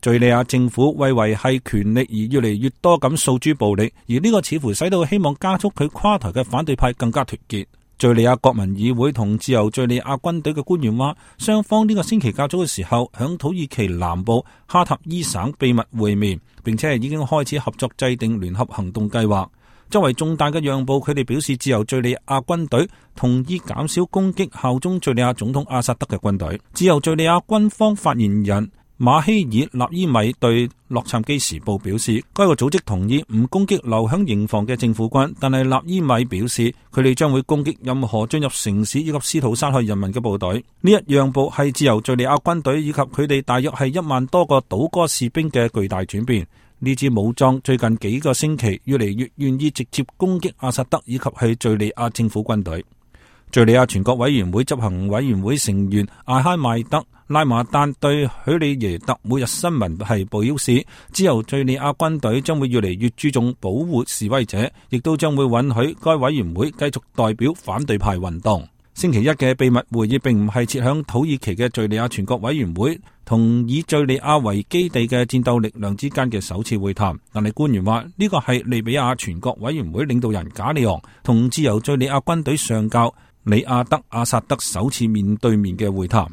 敘利亞政府為維繫權力而越嚟越多咁訴諸暴力，而呢個似乎使到希望加速佢垮台嘅反對派更加團結。敘利亞國民議會同自由敘利亞軍隊嘅官員話，雙方呢個星期較早嘅時候響土耳其南部哈塔伊省秘密會面，並且已經開始合作制定聯合行動計劃。作為重大嘅讓步，佢哋表示自由敘利亞軍隊同意減少攻擊效忠敘利亞總統阿薩德嘅軍隊。自由敘利亞軍方發言人馬希爾納伊米對洛杉磯時報表示，該個組織同意唔攻擊留響營房嘅政府軍，但係納伊米表示佢哋將會攻擊任何進入城市以及試圖殺害人民嘅部隊。呢一讓步係自由敘利亞軍隊以及佢哋大約係1萬多個倒戈士兵嘅巨大轉變。呢支武裝最近幾個星期越嚟越願意直接攻擊阿薩德以及係敘利亞政府軍隊。敘利亞全國委員會執行委員會成員艾哈邁德拉馬丹對許里耶特每日新聞係表示，自由敘利亞軍隊將會越嚟越注重保護示威者，亦都將會允許該委員會繼續代表反對派運動。星期一嘅秘密會議並唔係設響土耳其嘅敘利亞全國委員會同以敘利亞為基地嘅戰鬥力量之間嘅首次會談，但係官員話呢個係利比亞全國委員會領導人賈里昂同自由敘利亞軍隊上校里亞德阿薩德首次面對面嘅會談。